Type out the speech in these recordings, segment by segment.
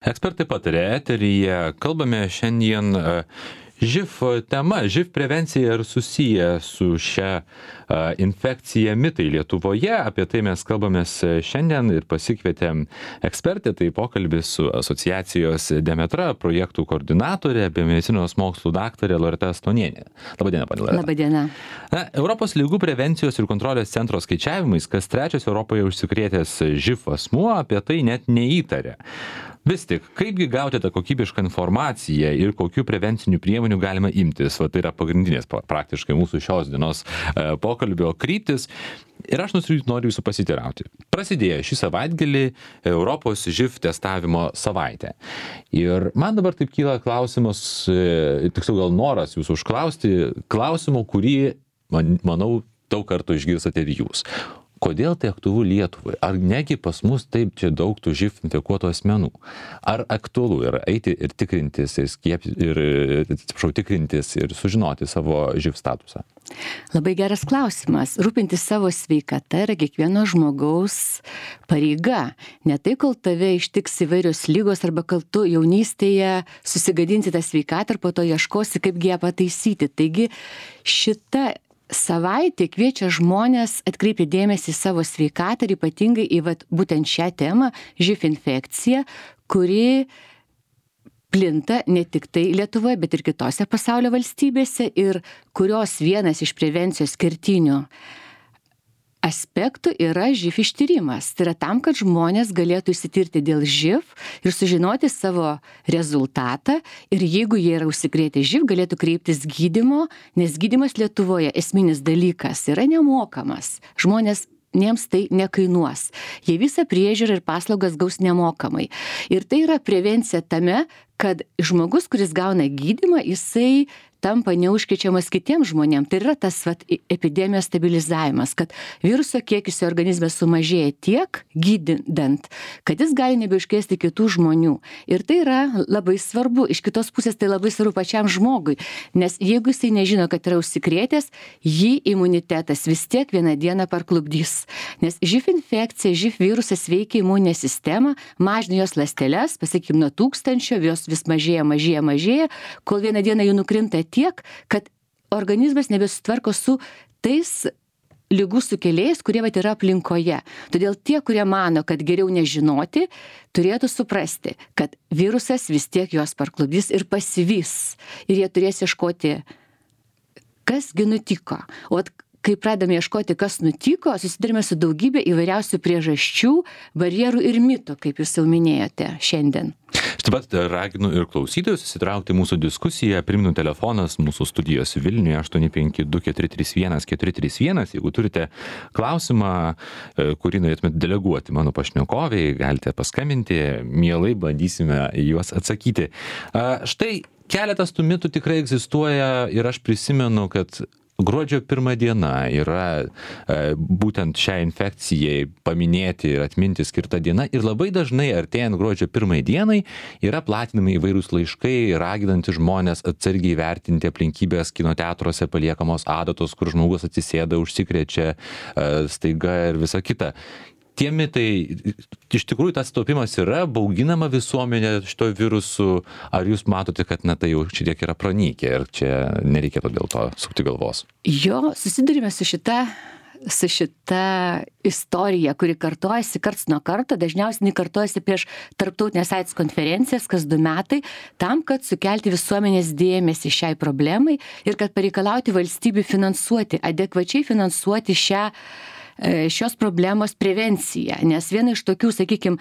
Ekspertai patarė eteryje, kalbame šiandien živ tema, živ prevencija ir susiję su šia infekcija mitai Lietuvoje. Apie tai mes kalbamės šiandien ir pasikvietėm ekspertę, tai pokalbis su asociacijos Demetra projektų koordinatorė, biomedicinos mokslų daktarė Loreta Stonienė. Labadiena, panė Loreta. Labadiena. Europos ligų prevencijos ir kontrolės centro skaičiavimais, kas trečias Europoje užsikrėtęs živ asmuo apie tai net neįtarė. Vis tik, kaipgi gauti tą kokybišką informaciją ir kokių prevencinių priemonių galima imtis? Va, tai yra pagrindinės praktiškai mūsų šios dienos pokalbio kryptis. Ir aš noriu jūsų pasiteirauti. Prasidėjo šį savaitgalį Europos živ testavimo savaitė. Ir man dabar taip kyla klausimas, tiksliau gal noras jūsų užklausti, klausimo, kurį, manau, daug kartų išgirstate ir jūs. Kodėl tai aktualu Lietuvai? Ar negi pas mus taip čia daug tų živ infekuotų asmenų? Ar aktualu yra eiti ir tikrintis ir sužinoti savo živ statusą? Labai geras klausimas. Rūpintis savo sveikata yra kiekvieno žmogaus pareiga. Ne tai, kol tave ištiks įvairios lygos arba kol tu jaunystėje susigadinsi tą sveikatą ir po to ieškosi, kaip ją pataisyti. Taigi šita savaitė kviečia žmonės atkreipti dėmesį į savo sveikatą ir ypatingai į būtent šią temą, živ infekciją, kuri plinta ne tik tai Lietuvoje, bet ir kitose pasaulio valstybėse ir kurios vienas iš prevencijos kertinių aspektų yra živ ištyrimas. Tai yra tam, kad žmonės galėtų išsitirti dėl živ ir sužinoti savo rezultatą ir jeigu jie yra užsikrėtę živ, galėtų kreiptis gydymo, nes gydymas Lietuvoje esminis dalykas yra nemokamas. Žmonėms tai nekainuos. Jie visą priežiūrą ir paslaugas gaus nemokamai. Ir tai yra prevencija tame, kad žmogus, kuris gauna gydymą, jisai tampa neužkrečiamas kitiems žmonėms. Tai yra tas epidemijos stabilizavimas, kad viruso kiekis jo organizme sumažėja tiek gydant, kad jis gali nebeužkrėsti kitų žmonių. Ir tai yra labai svarbu. Iš kitos pusės tai labai svarbu pačiam žmogui, nes jeigu jisai nežino, kad yra užsikrėtęs, jį imunitetas vis tiek vieną dieną parklupdys. Nes živ infekcija, živ virusas veikia imuninę sistemą, mažina jos ląsteles, pasakykime, nuo 1000, jos vis mažėja, kol vieną dieną jų nukrinta tiek, kad organizmas nebesutvarko su tais ligų sukėlėjais, kurie yra aplinkoje. Todėl tie, kurie mano, kad geriau nežinoti, turėtų suprasti, kad virusas vis tiek juos parklupdys ir pasivys. Ir jie turės ieškoti, kasgi nutiko. O kai pradame ieškoti, kas nutiko, susidurime su daugybė įvairiausių priežasčių, barjerų ir mitų, kaip jūs jau minėjote šiandien. Taip pat raginu ir klausytojus įsitraukti mūsų diskusiją. Primenu, telefonas mūsų studijos Vilniuje 852-431-431. Jeigu turite klausimą, kurį norėtumėte deleguoti mano pašnekoviai, galite paskambinti, mielai bandysime juos atsakyti. Štai keletas tų mitų tikrai egzistuoja ir aš prisimenu, kad gruodžio 1 diena yra būtent šiai infekcijai paminėti ir atminti skirta diena ir labai dažnai artėjant gruodžio 1 dienai yra platinami įvairūs laiškai, raginantys žmonės atsargiai vertinti aplinkybės kino teatruose paliekamos adatos, kur žmogus atsisėda, užsikrečia staiga ir visa kita. Tie mitai, iš tikrųjų tas taupimas yra, bauginama visuomenė šito virusu, ar jūs matote, kad tai jau šitiek yra pranykę ir čia nereikėtų dėl to sukti galvos? Jo, susidurime su šita istorija, kuri kartojasi karts nuo karto, dažniausiai kartojasi prieš tarptautinės AIDS konferencijas kas 2 metai, tam, kad sukelti visuomenės dėmesį šiai problemai ir kad pareikalauti valstybių adekvačiai finansuoti šios problemos prevenciją. Nes viena iš tokių, sakykime,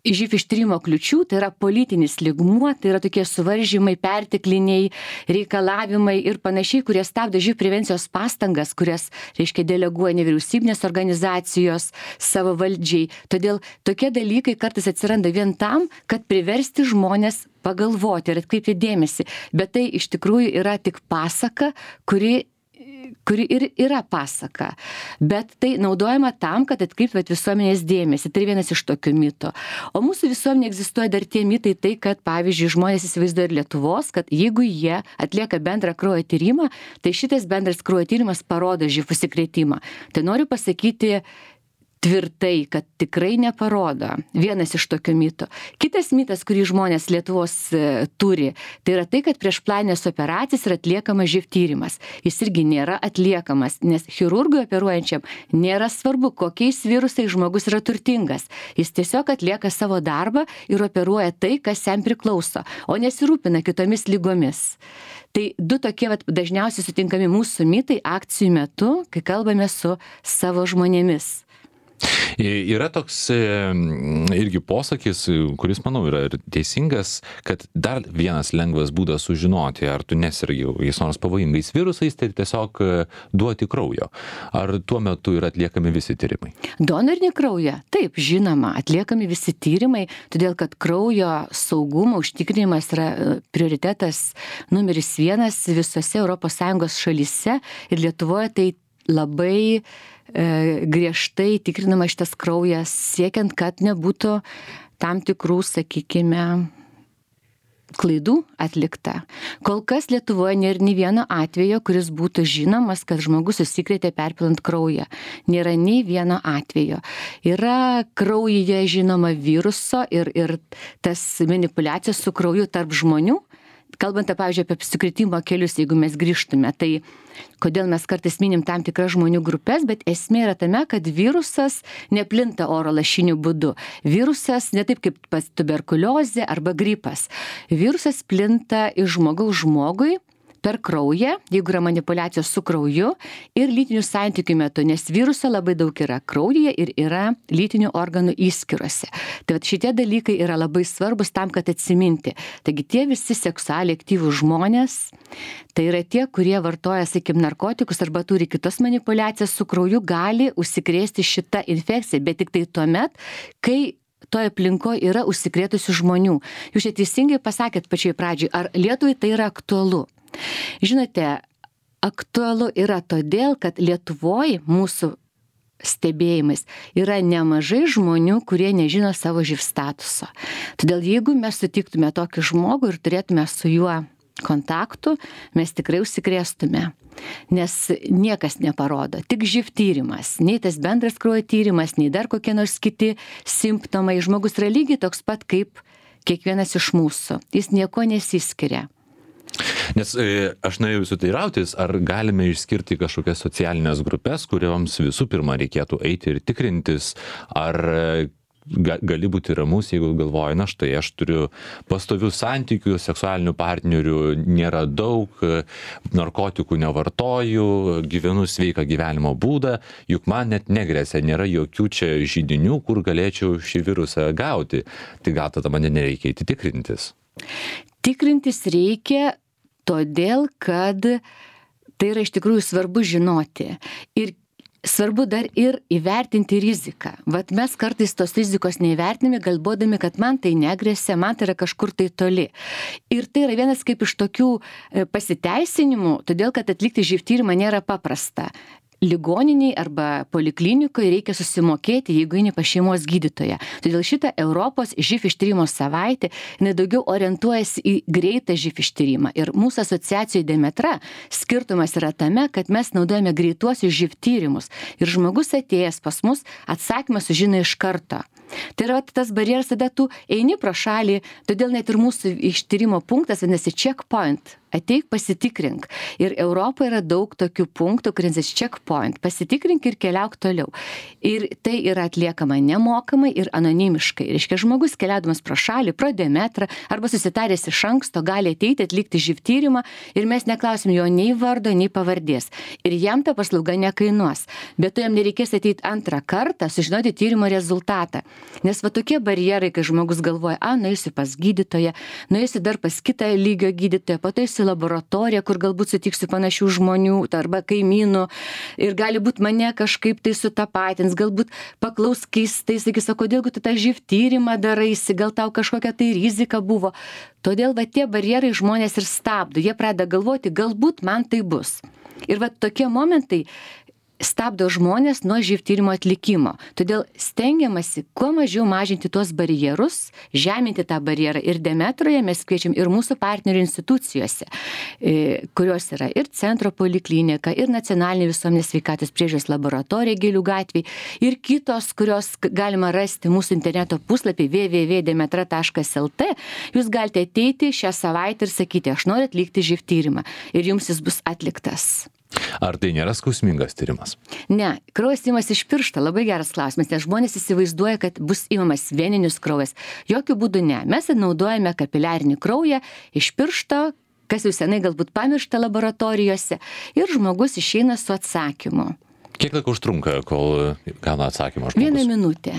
živ ištyrimo kliučių, tai yra politinis lygmuo, tai yra tokie suvaržymai, pertekliniai reikalavimai ir panašiai, kurie stabdo živ prevencijos pastangas, kurias, deleguoja nevyriausybinės organizacijos savo valdžiai. Todėl tokie dalykai kartais atsiranda vien tam, kad priversti žmonės pagalvoti ir atkreipti dėmesį. Bet tai iš tikrųjų yra tik pasaka, kuri ir yra pasaka. Bet tai naudojama tam, kad atkreiptumėt visuomenės dėmesį. Tai vienas iš tokių mitų. O mūsų visuomenė egzistuoja dar tie mitai, tai kad, pavyzdžiui, žmonės įsivaizduoja ir Lietuvos, kad jeigu jie atlieka bendrą kraujo tyrimą, tai šitas bendras kraujo tyrimas parodo živ užsikrėtimą. Tai noriu pasakyti tvirtai, kad tikrai neparodo. Vienas iš tokių mitų. Kitas mitas, kurį žmonės Lietuvos turi, tai yra tai, kad prieš planinės operacijas yra atliekamas živ tyrimas. Jis irgi nėra atliekamas, nes chirurgui operuojančiam nėra svarbu, kokiais virusais žmogus yra turtingas. Jis tiesiog atlieka savo darbą ir operuoja tai, kas jam priklauso, o nesirūpina kitomis lygomis. Tai du tokie dažniausiai sutinkami mūsų mitai akcijų metu, kai kalbame su savo žmonėmis. Yra toks irgi posakis, kuris, manau, yra ir teisingas, kad dar vienas lengvas būdas sužinoti, ar tu nesirgi kokiais nors pavojingais virusais, tai tiesiog duoti kraujo. Ar tuo metu yra atliekami visi tyrimai? Donorinį kraują? Taip, žinoma, atliekami visi tyrimai, todėl kad kraujo saugumo užtikrinimas yra prioritetas numeris 1 visose ES šalyse ir Lietuvoje tai labai griežtai tikrinama šitas kraujas, siekiant, kad nebūtų tam tikrų, sakykime, klaidų atlikta. Kol kas Lietuvoje nėra nei vieno atvejo, kuris būtų žinomas, kad žmogus užsikrėtė perpilant kraują. Nėra nei vieno atvejo. Yra kraujyje žinoma viruso ir tas manipuliacijos su krauju tarp žmonių. Kalbant, pavyzdžiui, apie apsikritimo kelius, jeigu mes grįžtume, tai kodėl mes kartais minim tam tikras žmonių grupės, bet esmė yra tame, kad virusas neplinta oro lašiniu būdu. Virusas ne taip kaip tuberkuliozė arba gripas. Virusas plinta iš žmogaus žmogui per kraują, jeigu yra manipuliacijos su krauju ir lytinių santykių metu, nes viruso labai daug yra kraujyje ir yra lytinių organų įskyrose. Tai šitie dalykai yra labai svarbus tam, kad atsiminti. Taigi tie visi seksualiai aktyvūs žmonės, tai yra tie, kurie vartoja, sakykim, narkotikus arba turi kitas manipuliacijas su krauju, gali užsikrėsti šitą infekciją, bet tik tai tuomet, kai toje aplinkoje yra užsikrėtusių žmonių. Jūs čia teisingai pasakėt pačioj pradžioj, ar Lietuvai tai yra aktualu? Žinote, aktualu yra todėl, kad Lietuvoje mūsų stebėjimais yra nemažai žmonių, kurie nežino savo živ statuso. Todėl jeigu mes sutiktume tokį žmogų ir turėtume su juo kontaktų, mes tikrai užsikrėstume. Nes niekas neparodo, tik živ tyrimas, nei tas bendras kraujo tyrimas, nei dar kokie nors kiti simptomai. Žmogus yra lygiai toks pat kaip kiekvienas iš mūsų. Jis nieko nesiskiria. Nes aš norėjau jūsų teirautis, ar galime išskirti kažkokias socialinės grupės, kurioms visų pirma reikėtų eiti ir tikrintis, ar gali būti ramus, jeigu galvoji, na štai aš turiu pastovių santykių, seksualinių partnerių nėra daug, narkotikų nevartoju, gyvenu sveiką gyvenimo būdą, juk man net negresia, nėra jokių čia židinių, kur galėčiau šį virusą gauti. Tai gal tada man nereikia eiti tikrintis? Tikrintis reikia todėl, kad tai yra iš tikrųjų svarbu žinoti. Ir svarbu dar ir įvertinti riziką. Vat mes kartais tos rizikos neįvertiname, galvodami, kad man tai negresia, man tai yra kažkur tai toli. Ir tai yra vienas kaip iš tokių pasiteisinimų, todėl kad atlikti živ tyrimą nėra paprasta. Ligoniniai arba poliklinikoje reikia susimokėti, jeigu eini pas šeimos gydytoją. Todėl šitą Europos živ ištyrimo savaitę, jinai daugiau orientuojasi į greitą živ ištyrimą. Ir mūsų asociacijoje Demetra skirtumas yra tame, kad mes naudojame greituosius živ tyrimus. Ir žmogus atėjęs pas mus atsakymą sužino iš karto. Tai yra tas barjeras, tada tu eini pro šalį, todėl net ir mūsų ištyrimo punktas vadinasi checkpoint. Ateik, pasitikrink. Ir Europoje yra daug tokių punktų, kuris checkpoint. Pasitikrink ir keliauk toliau. Ir tai yra atliekama nemokamai ir anonimiškai. Reiškia, žmogus keliaudamas pro šalį, pro Demetrą, arba susitaręs iš anksto, gali ateiti atlikti živ tyrimą ir mes neklausim jo nei vardo, nei pavardės. Ir jam ta paslauga nekainuos. Bet to jam nereikės ateiti antrą kartą, sužinoti tyrimo rezultatą. Nes va tokie barjerai, kai žmogus galvoja, nueisiu pas gydytoją, nueisiu dar pas kitą lygio gydytoją, po to eisiu laboratoriją, kur galbūt sutiksiu panašių žmonių arba kaimynų ir gali būt mane kažkaip tai sutapatins, galbūt paklaus keistai, sakys, o kodėl tu tą živ tyrimą daraisi, gal tau kažkokia tai rizika buvo. Todėl va tie barjerai žmonės ir stabdo, jie pradeda galvoti, galbūt man tai bus. Ir va tokie momentai stabdo žmonės nuo živ tyrimo atlikimo. Todėl stengiamasi kuo mažiau mažinti tuos barjerus, žeminti tą barjerą. Ir Demetroje mes kviečiam ir mūsų partnerių institucijose, kurios yra ir centro poliklinika, ir nacionalinė visuomenės sveikatos priežiūros laboratorija Gėlių gatvėj, ir kitos, kurios galima rasti mūsų interneto puslapį www.demetra.lt. Jūs galite ateiti šią savaitę ir sakyti, aš noriu atlikti živ tyrimą. Ir jums jis bus atliktas. Ar tai nėra skausmingas tyrimas? Ne, kraujas imamas iš piršto, labai geras klausimas, nes žmonės įsivaizduoja, kad bus imamas veninis kraujas. Jokių būdų ne. Mes naudojame kapiliarinį kraują iš piršto, kas jau senai galbūt pamiršta laboratorijose, ir žmogus išeina su atsakymu. Kiek laiko užtrunka, kol gauna atsakymą žmogus? 1 minutė.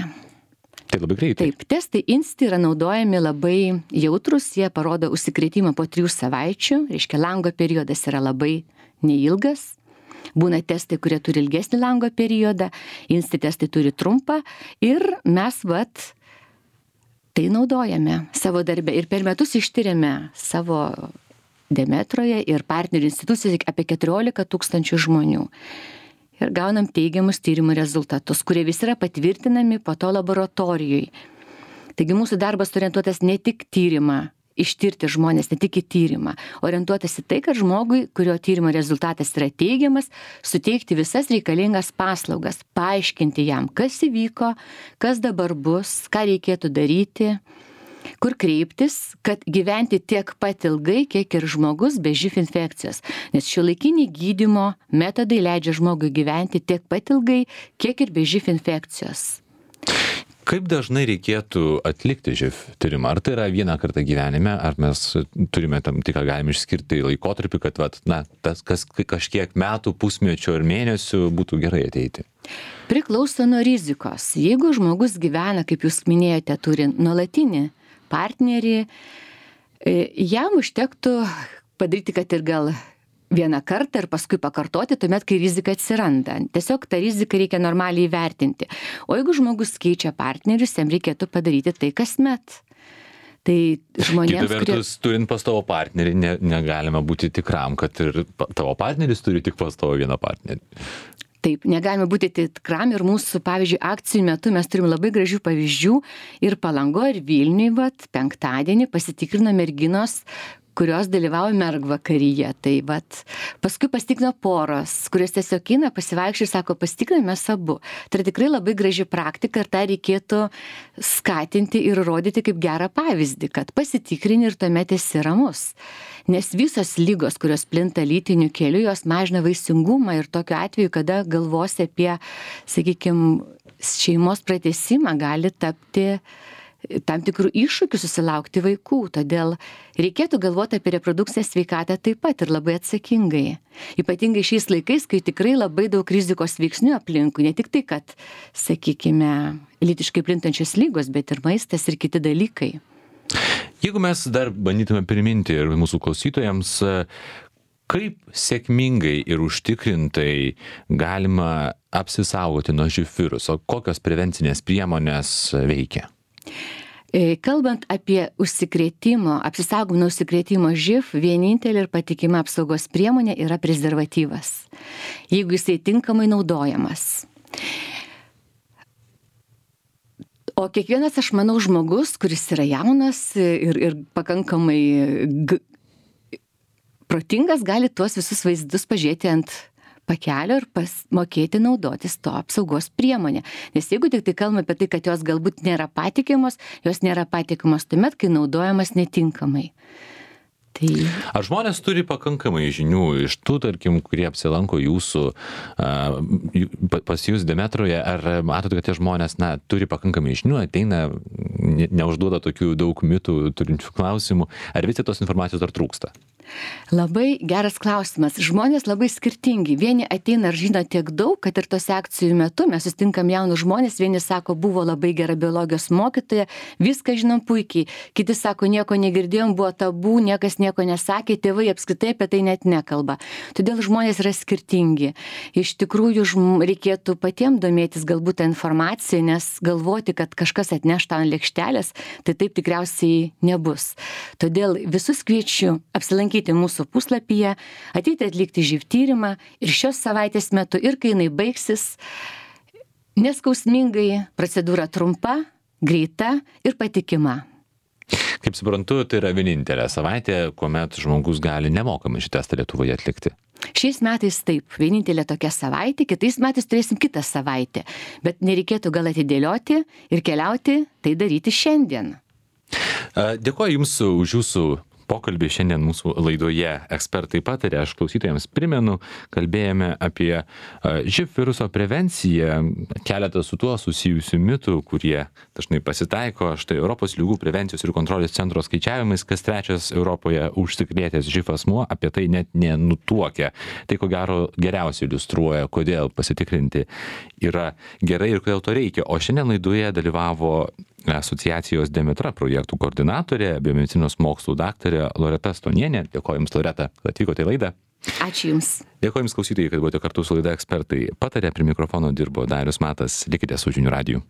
Tai labai greitai. Taip, testai INSTI yra naudojami labai jautrus, jie parodo užsikrėtimą po 3 savaičių, reiškia lango periodas yra labai neilgas. Būna testai, kurie turi ilgesnį lango periodą, INSTI testai turi trumpą ir mes tai naudojame savo darbe ir per metus ištiriame savo Demetroje ir partnerių institucijose apie 14 000 žmonių. Ir gaunam teigiamus tyrimų rezultatus, kurie visi yra patvirtinami po to laboratorijoje. Taigi mūsų darbas orientuotas ne tik tyrimą, ištirti žmonės, ne tik į tyrimą, orientuotas į tai, kad žmogui, kurio tyrimo rezultatas yra teigiamas, suteikti visas reikalingas paslaugas, paaiškinti jam, kas įvyko, kas dabar bus, ką reikėtų daryti, kur kreiptis, kad gyventi tiek pat ilgai, kiek ir žmogus be živ infekcijos. Nes šiuolaikiniai gydymo metodai leidžia žmogui gyventi tiek pat ilgai, kiek ir be živ infekcijos. Kaip dažnai reikėtų atlikti živ tyrimą? Ar tai yra vieną kartą gyvenime, ar mes turime tam tikrą galim išskirti laikotarpį, kad tas kažkiek metų, pusmečio ir mėnesių būtų gerai ateiti? Priklauso nuo rizikos. Jeigu žmogus gyvena, kaip jūs minėjote, turi nuolatinį partnerį, jam užtektų padaryti, kad ir gal vieną kartą ir paskui pakartoti, tuomet, kai rizika atsiranda. Tiesiog tą riziką reikia normaliai įvertinti. O jeigu žmogus keičia partnerius, jam reikėtų padaryti tai kasmet. Tai žmonėms, kita vertus, turint pastovo partnerį, negalima būti tikram, kad ir tavo partneris turi tik pastovo vieną partnerį. Taip, negalime būti tikram ir mūsų, pavyzdžiui, akcijų metu mes turim labai gražių pavyzdžių ir Palangoje, ir Vilniuje, penktadienį pasitikrino merginos, kurios dalyvauja mergvakaryje. Tai paskui pasitikrino poros, kurios tiesiog eina pasivaikščioti ir sako, pasitikriname mes abu. Tai tikrai labai graži praktika ir tą reikėtų skatinti ir rodyti kaip gerą pavyzdį, kad pasitikrini ir tuomet esi ramus. Nes visos lygos, kurios plinta lytiniu keliu, jos mažina vaisingumą ir tokiu atveju, kada galvosi apie, sakykime, šeimos pratęsimą, gali tapti tam tikrų iššūkių susilaukti vaikų. Todėl reikėtų galvoti apie reprodukcinę sveikatą taip pat ir labai atsakingai. Ypatingai šiais laikais, kai tikrai labai daug rizikos veiksnių aplinkui, ne tik tai, kad, sakykime, lytiškai plintančios lygos, bet ir maistas ir kiti dalykai. Jeigu mes dar bandytume priminti ir mūsų klausytojams, kaip sėkmingai ir užtikrintai galima apsisaugoti nuo živ viruso, kokios prevencinės priemonės veikia? Kalbant apie apsisaugomą nuo užsikrėtimo živ, vienintelė ir patikima apsaugos priemonė yra prezervatyvas, jeigu jisai tinkamai naudojamas. O kiekvienas, aš manau, žmogus, kuris yra jaunas ir pakankamai protingas, gali tuos visus vaizdus pažiūrėti ant pakelio ir mokėti naudotis to apsaugos priemonę. Nes jeigu tik tai kalbame apie tai, kad jos galbūt nėra patikimos, jos nėra patikimos tuomet, kai naudojamas netinkamai. Ar žmonės turi pakankamai žinių iš tų, tarkim, kurie apsilanko pas jūs Demetroje, ar matote, kad tie žmonės, turi pakankamai žinių, ateina, neužduoda tokių daug mitų turinčių klausimų, ar vis tik tos informacijos dar trūksta? Labai geras klausimas. Žmonės labai skirtingi. Vieni ateina ir žino tiek daug, kad ir tos akcijų metu mes sustinkam jaunus žmonės. Vieni sako, buvo labai gera biologijos mokytoja, viską žinom puikiai. Kiti sako, nieko negirdėjom, buvo tabu, niekas nieko nesakė, tėvai apskritai apie tai net nekalba. Todėl žmonės yra skirtingi. Iš tikrųjų, reikėtų patiems domėtis galbūt tą informaciją, nes galvoti, kad kažkas atneš tą ant lėkštelės, tai taip tikriausiai nebus. Todėl visus kviečiu apsilankyti aplankyti mūsų puslapyje, ateiti atlikti živ tyrimą ir šios savaitės metu, ir kai jinai baigsis, neskausmingai, procedūra trumpa, greita ir patikima. Kaip suprantu, tai yra vienintelė savaitė, kuomet žmogus gali nemokamai šį testą Lietuvoje atlikti. Šiais metais taip, vienintelė tokia savaitė, kitais metais turėsim kitą savaitę, bet nereikėtų gal atidėlioti ir keliauti, tai daryti šiandien. Dėkuoju Jums už Jūsų pokalbį šiandien mūsų laidoje Ekspertai pataria. Aš klausytojams primenu, kalbėjome apie živ viruso prevenciją, keletą su tuo susijusių mitų, kurie dažnai pasitaiko. Štai Europos ligų prevencijos ir kontrolės centro skaičiavimais, kas trečias Europoje užsikrėtęs živ asmuo apie tai net nenutuokia. Tai ko gero geriausiai iliustruoja, kodėl pasitikrinti yra gerai ir kodėl to reikia. O šiandien laidoje dalyvavo asociacijos Demetra projektų koordinatorė, biomedicinos mokslų daktarė Loreta Stonienė. Dėkoju Jums, Loreta, kad atvykote į laidą. Ačiū Jums. Dėkoju Jums, klausytojai, kad buvote kartu su laida Ekspertai pataria. Prie mikrofono dirbo Darius Matas. Likite su Žinių radiju.